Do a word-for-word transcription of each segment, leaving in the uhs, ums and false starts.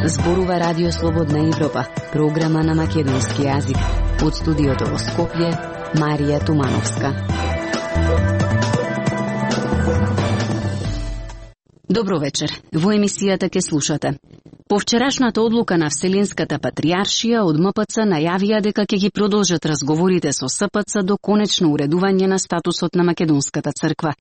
Зборува Радио Слободна Европа, програма на македонски јазик. Од студиото во Скопје, Марија Тумановска. Добро вечер. Во емисијата ке слушате. По вчерашната одлука на Вселенската патријаршија од М П Ц најавија дека ќе ги продолжат разговорите со С П Ц до конечно уредување на статусот на Македонската црква.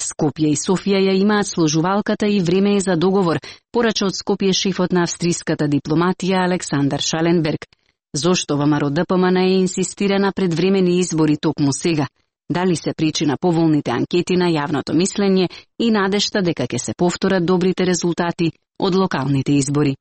Скопје и Софија ја имаат сложувалката и време е за договор, порача од Скопје шефот на австриската дипломатија Александар Шаленберг. Зошто ВМРО Д П М Н е инсистира на предвремени избори токму сега? Дали се причина поволните анкети на јавното мислење и надежта дека ќе се повторат добрите резултати од локалните избори?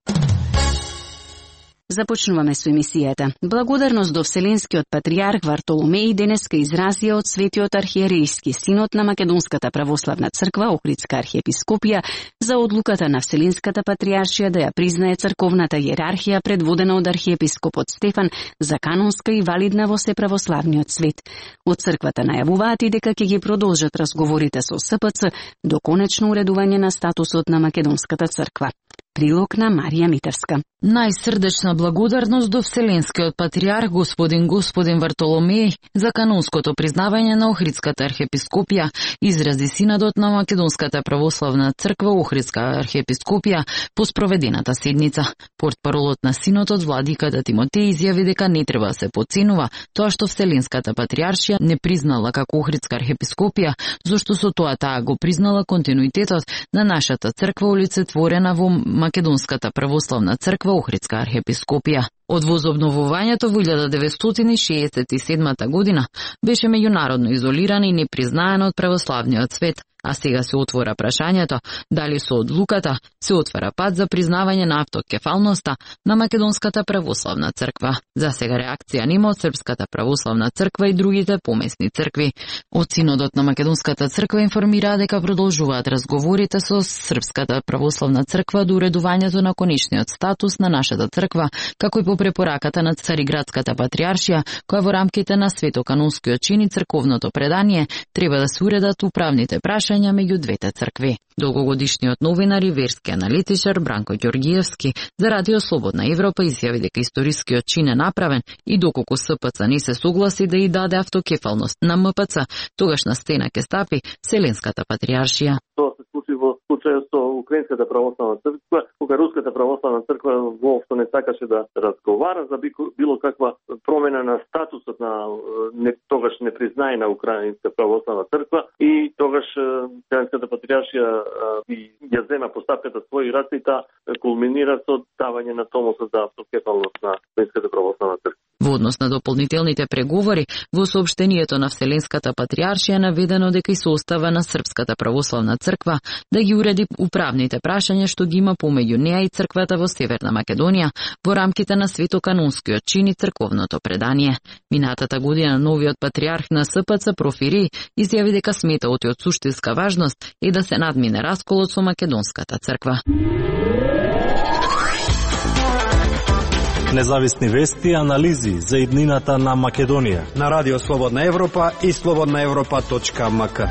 Започнуваме со емисијата. Благодарност до Вселенскиот патријарх Вартоломеј денеска изразија од Светиот архиерејски синод на Македонската православна црква Охридска архиепископија за одлуката на Вселенската патријаршија да ја признае црковната иерархија предводена од архиепископот Стефан за канонска и валидна во сеправославниот свет. Од црквата најавуваат и дека ќе ги продолжат разговорите со С П Ц до конечно уредување на статусот на Македонската црква. Прилог на Марија Митевска. Најсрдечна благодарност до Вселенскиот патријарх господин господин Вартоломеј за канонското признавање на Охридската архиепископија, изрази синодот на Македонската православна црква Охридска архиепископија по спроведената седница. Портпаролот на синодот владиката Тимотеј изјави дека не треба да се потценува тоа што Вселенската патријаршија не признала како Охридска архиепископија, зашто со тоа таа го признала континуитетот на нашата црква олицетворена во Македонската православна црква Охридска архиепископија. Од возобновувањето во илјада деветстотини шеесет и седма година беше меѓународно изолирана и непризнаена од православниот свет, а сега се отвора прашањето дали со одлуката се отвара пат за признавање на автокефалноста на Македонската православна црква. За сега реакција нема од Српската православна црква и другите помесни цркви. Од синодот на Македонската црква информираа дека продолжуваат разговорите со Српската православна црква до уредувањето на конечниот статус на нашата црква, како и по препораката на Цариградската патријаршија, која во рамките на светоканонскиот чин и црковното предание треба да се уредат управните прашања меѓу двете цркви. Долгогодишниот новинар и верски аналитичар Бранко Ѓоргиевски за Радио Слободна Европа изјави дека историскиот чин е направен и доколку С П Ц не се согласи да и даде автокефалност на М П Ц, тогаш на стена ќе стапи Вселенската патријаршија. Тоа се случи во случајот со Украинската православна црква, кога Руската православна црква воопшто не сакаше да разговара за било каква промена на статусот на не, тогаш непризнаена Украинска православна црква и тогаш Вселенската патријаршија ја зема постапката своји раце и таа кулминира со давање на томосот за автокефалност на Украинската православна црква. Во однос на дополнителните преговори, во соопштението на Вселенската патријаршија наведено дека и се остава на Српската православна црква да ги уреди управните прашања што ги има помеѓу неа и црквата во Северна Македонија во рамките на светоканонскиот чин и црковното предание. Минатата година новиот патријарх на С П Ц Профири изјави дека смета од суштинска важност е да се надмине расколот со Македонската црква. Независни вести и анализи за иднината на Македонија на Радио Слободна Европа и слободна европа точка м к.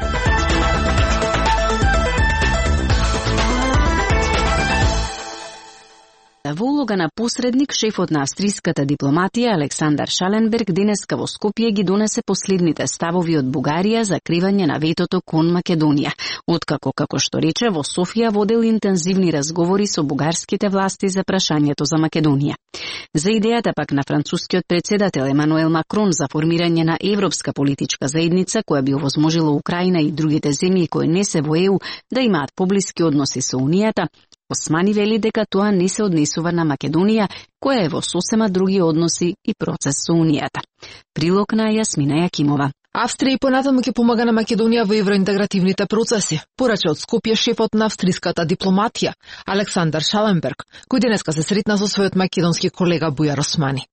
Во улога на посредник, шефот на австриската дипломатија Александар Шаленберг денеска во Скопје ги донесе последните ставови од Бугарија за кривање на ветото кон Македонија, откако, како што рече, во Софија водел интензивни разговори со бугарските власти за прашањето за Македонија. За идејата пак на францускиот председател Емануел Макрон за формирање на европска политичка заедница која би овозможила Украина и другите земји кои не се во Е У да имаат поблиски односи со Унијата, Османи вели дека тоа не се однесува на Македонија, која е во сосема други односи и процес со Унијата. Прилог на Јасмина Јакимова. Австрија и понатаму ќе помага на Македонија во евроинтегративните процеси, порача од Скопје шефот на австриската дипломатија Александар Шаленберг, кој денеска се сретна со својот македонски колега Бујар Османи.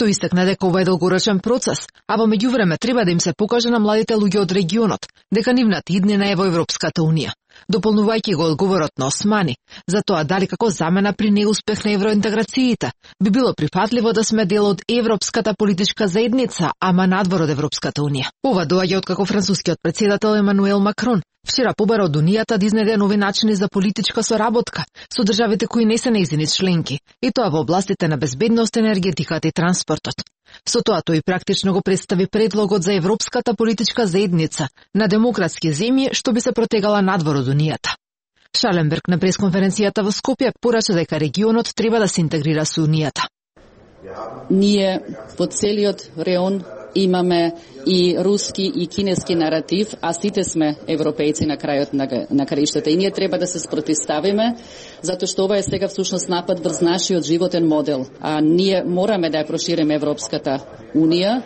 Тој истакна дека ова е долгорочен процес, а во меѓувреме треба да им се покаже на младите луѓе од регионот дека нивната иднина е во Европската унија. дополнувајќи го одговорот на Османи, за тоа дали како замена при неуспех на евроинтеграциите би било прифатливо да сме дел од Европската политичка заедница, ама надвор од Европската унија. Ова доаѓа откако францускиот претседател Емануел Макрон вчера побара од Унијата да изнеде нови начини за политичка соработка со државите кои не се нејзини членки, и тоа во областите на безбедност, енергетиката и транспортот. Со тоа тој практично го представи предлогот за Европската политичка заедница на демократски земји што би се протегала надвор од Унијата. Шаленберг на пресконференцијата во Скопје порача дека регионот треба да се интегрира со Унијата. Ние по целиот реон имаме и руски и кинески наратив, а сите сме европејци на крајот на, на краиштата. И ние треба да се спротивставиме, затоа што ова е сега всушност напад врз нашиот животен модел. А ние мораме да ја прошириме Европската унија.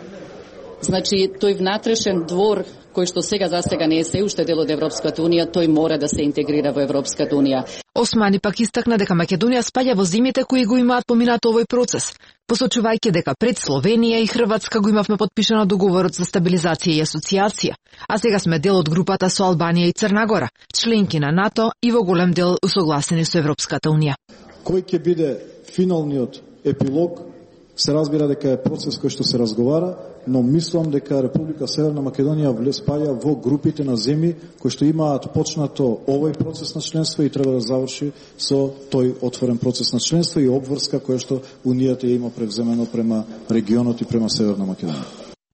Значи, тој внатрешен двор, кој што сега за сега не е се уште дел од Европската унија, тој мора да се интегрира во Европската унија. Османи пак истакна дека Македонија спаѓа во земјите кои го имаат поминато овој процес, посочувајќи дека пред Словенија и Хрватска го имавме подпишано договорот за стабилизација и асоциација, а сега сме дел од групата со Албанија и Црна Гора, членки на НАТО и во голем дел усогласени со Европската унија. Кој ќе биде финалниот епилог, се разбира дека е процес кој што се разговара, но мислам дека Република Северна Македонија спаѓа во групите на земји кои што имаат почнато овој процес на членство и треба да заврши со тој отворен процес на членство и обврска која што Унијата ја има превземено према регионот и према Северна Македонија.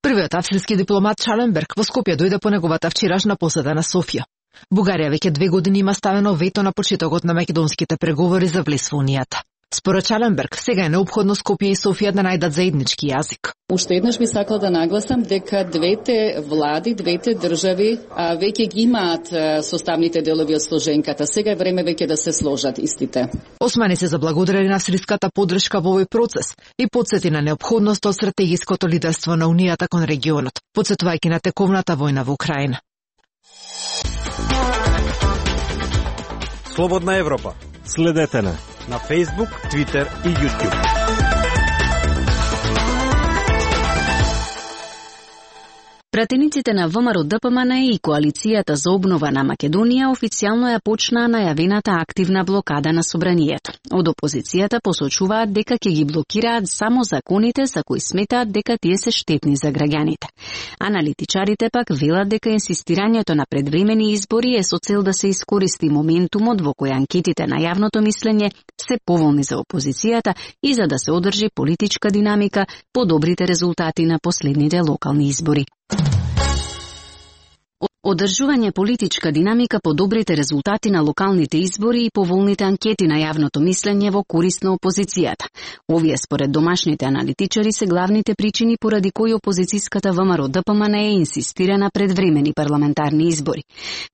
Првиот австрийски дипломат Шаленберг во Скопје дојде по неговата вчерашна посета на Софија. Бугарија веќе две години има ставено вето на почетокот на македонските преговори за влез во Унијата. Според Шаленберг, сега е неопходно Скопје и Софија да најдат заеднички јазик. Уште еднаш би сакала да нагласам дека двете влади, двете држави а, веќе ги имаат а, составните делови од сложенката. Сега е време веќе да се сложат истите. Османи се заблагодари на австриската поддршка во овој процес и потсети на неопходност од стратегиското лидерство на Унијата кон регионот, потсетувајќи на тековната војна во Украина. Слободна Европа. Следете на на Facebook, Twitter и YouTube. Пратениците на ВМРО Д П М Н и Коалицијата за обнова на Македонија официјално ја почнаа најавената активна блокада на собранието. Од опозицијата посочуваат дека ќе ги блокираат само законите за кои сметаат дека тие се штетни за граѓаните. Аналитичарите пак велат дека инсистирањето на предвремени избори е со цел да се искористи моментумот во кој анкетите на јавното мислење се поволни за опозицијата и за да се одржи политичка динамика по добрите резултати на последните локални избори. Одржување политичка динамика по добрите резултати на локалните избори и поволните анкети на јавното мислење во корист на опозицијата. Овие според домашните аналитичари се главните причини поради кои опозицијската ВМРО Д П М Н Е инсистира на предвремени парламентарни избори.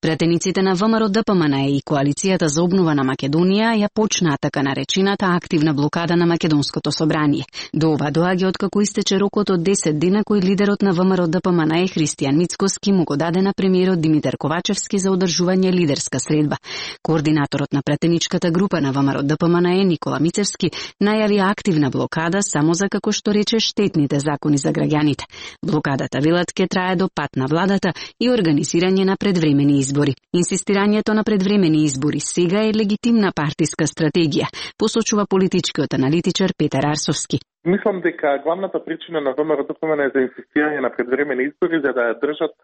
Пратениците на ВМРО Д П М Н Е и Коалицијата за обнова на Македонија ја почнаа така наречената активна блокада на Македонското собрание. До ова доаѓа откако истече рокот од десет дена кој лидерот на ВМРО Д П М Н Е Христијан Мицкоски му го даде на премиерот Димитар Ковачевски за одржување лидерска средба. Координаторот на пратеничката група на ВМРО Д П М Н Е Никола Мицевски најави активна блокада само за, како што рече, штетните закони за граѓаните. Блокадата, велат, ќе трае до пат на владата и организирање на предвремени избори. Инсистирањето на предвремени избори сега е легитимна партиска стратегија, посочува политичкиот аналитичар Петар Арсовски. Мислам дека главната причина на ВМРО Д П М Н Е за инсистирање на предвремени избори за да ја држат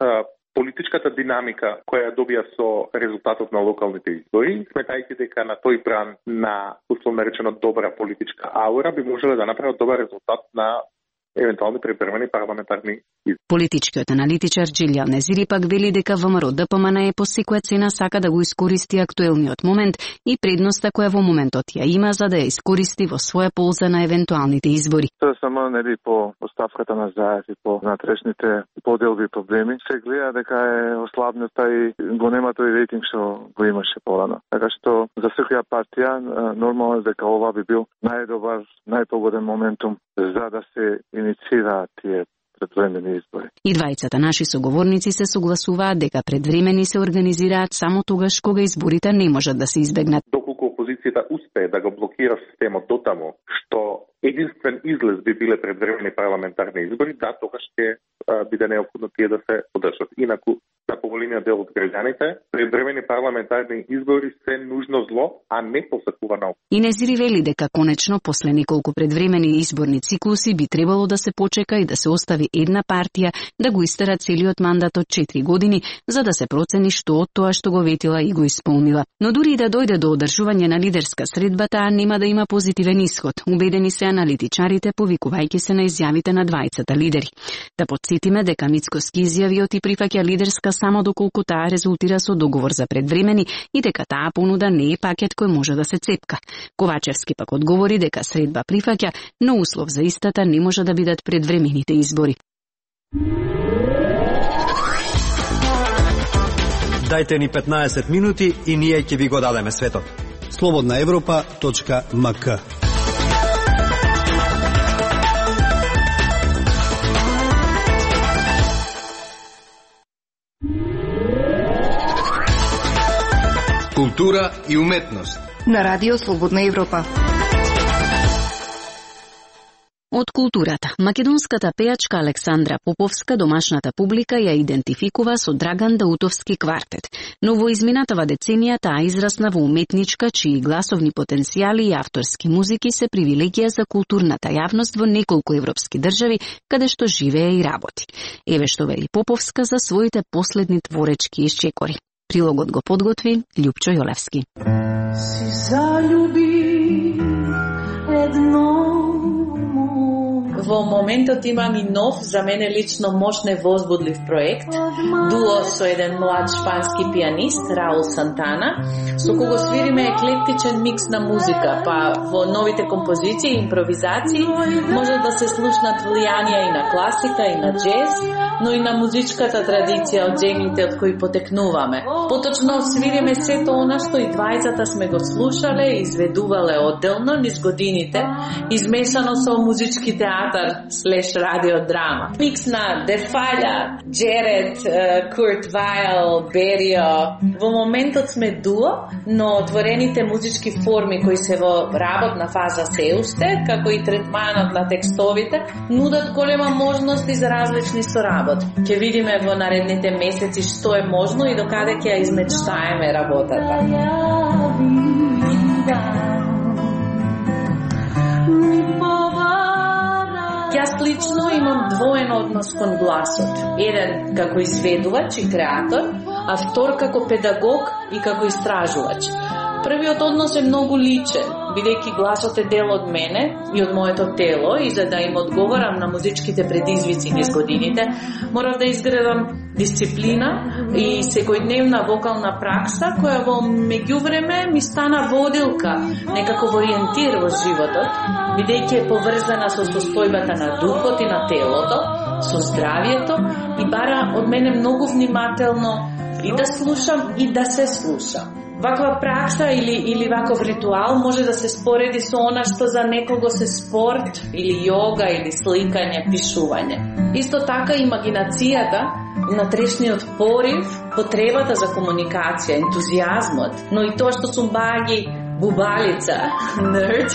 политичката динамика која ја добија со резултатот на локалните избори, сметајќи дека на тој бран на условно речено добра политичка аура би можеле да направат добар резултат на евентуални превремени парламентарни избори. Политичкиот аналитичар Джилјан Незири пак вели дека ВМРО Д П М Н Е по секоја цена сака да го искористи актуелниот момент и предноста која во моментот ја има за да ја искористи во своја полза на евентуалните избори. Тоа само нели по оставката на Заев и по натрешните поделби проблеми се гледа дека е ослабната и го нема тој рейтинг што го имаше порано. Така што за секоја партија нормално е дека ова би бил најдобар, најпогоден моментум за да се инициираат тие предвремени избори. И двајцата наши соговорници се согласуваат дека предвремени се организираат само тогаш кога изборите не можат да се избегнат. Доколку опозицијата успее да го блокира системот дотаму што единствен излез би биле предвремени парламентарни избори, да, тогаш ќе биде неопходно тие да се одржат. Инаку, за поголемиот дел од граѓаните, предвремени парламентарни избори се нужно зло, а не посакувана опција. Инезири вели дека конечно после неколку предвремени изборни циклуси би требало да се почека и да се остави една партија да го истера целиот мандат од четири години, за да се процени што од тоа што го ветила и го исполнила. Но дури и да дојде до одржување на лидерска средба, таа нема да има позитивен исход, убедени се аналитичарите, повикувајќи се на изјавите на двајцата лидери. Да подсетиме дека Мицкоски изјавиот и прифаќа лидерска само доколку таа резултира со договор за предвремени и дека таа понуда не е пакет кој може да се цепка. Ковачевски пак одговори дека средба прифаќа, но услов за истата не може да бидат предвремените избори. Дајте ни петнаесет минути и ние ќе ви го дадеме светот. слободна европа точка ем ка. Култура и уметност на Радио Слободна Европа. Од културата, македонската пејачка Александра Поповска домашната публика ја идентификува со Драган Даутовски квартет, но во изминатава деценија таа израсна во уметничка чии гласовни потенцијали и авторски музики се привилегија за културната јавност во неколку европски држави, каде што живее и работи. Еве што вели Поповска за своите последни творечки исчекори. Прилогот го подготви Љупчо Јолевски. Си залюби едно. Во моментот имам и нов, за мене лично мощ невозбудлив проект, дуо со еден млад шпански пианист, Раул Сантана, со кого свириме еклектичен микс на музика, па во новите композиции и импровизации може да се слушнат влијанија и на класика, и на джез, но и на музичката традиција од земјите од кои потекнуваме. Поточно свириме сето она што и двајцата сме го слушале и изведувале одделно низ годините, измешано со музички театар слеш радиодрама. Микс на Дефаља, Джеред, Курт Вајл, Берио. Во моментот сме дуо, но отворените музички форми кои се во работна фаза се уште, како и третманот на текстовите, нудат голема можност за различни соработи. Ќе видиме во наредните месеци што е можно и докаде ќе ја измечтаеме работата. Јас лично имам двоен однос кон гласот. Еден како изведувач и креатор, а втор како педагог и како истражувач. Првиот однос е многу личен, бидејќи гласот е дел од мене и од моето тело и за да им одговорам на музичките предизвици низ годините, морав да изградам дисциплина и секојдневна вокална пракса која во меѓувреме ми стана водилка, некаков ориентир во животот, бидејќи е поврзана со состојбата на духот и на телото, со здравието и бара од мене многу внимателно и да слушам и да се слушам. Ваква пракса или, или ваков ритуал може да се спореди со она што за некого се спорт, или јога, или сликање, пишување. Исто така имагинацијата, внатрешниот порив, потребата за комуникација, ентузијазмот, но и тоа што сум баги, бубалица, нерд,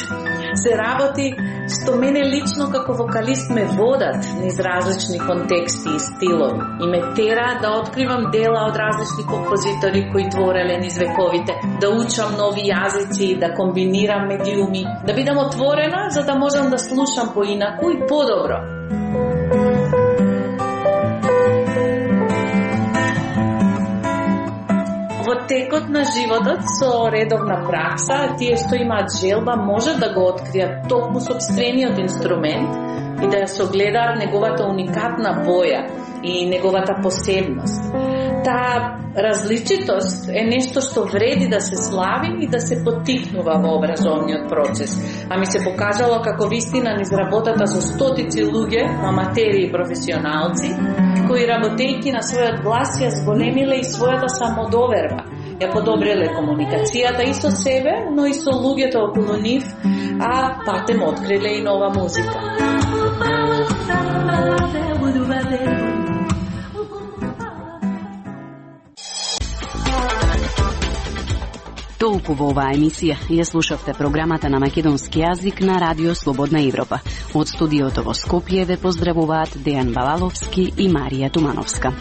се работи што мене лично како вокалист ме водат низ различни контексти и стилови и ме тера да откривам дела од различни композитори кои твореле низ вековите, да учам нови јазици, да комбинирам медиуми, да бидам отворена за да можам да слушам поинаку и подобро. Во текот на животот со редовна пракса, тие што имаат желба можат да го откријат токму сопствениот инструмент и да ја согледаат неговата уникатна боја и неговата посебност. Таа различитост е нешто што вреди да се слави и да се поттикнува во образовниот процес. А ми се покажало како вистина низ работата со стотици луѓе, аматери и професионалци, кои работејќи на својот глас ја зголемиле и својата самодоверба, ја подобриле комуникацијата и со себе, но и со луѓето околу нив, а патем откриле и нова музика. Толку во оваа емисија. Ја слушавте програмата на македонски јазик на Радио Слободна Европа. Од студиото во Скопје ве поздравуваат Дејан Балаловски и Марија Тумановска.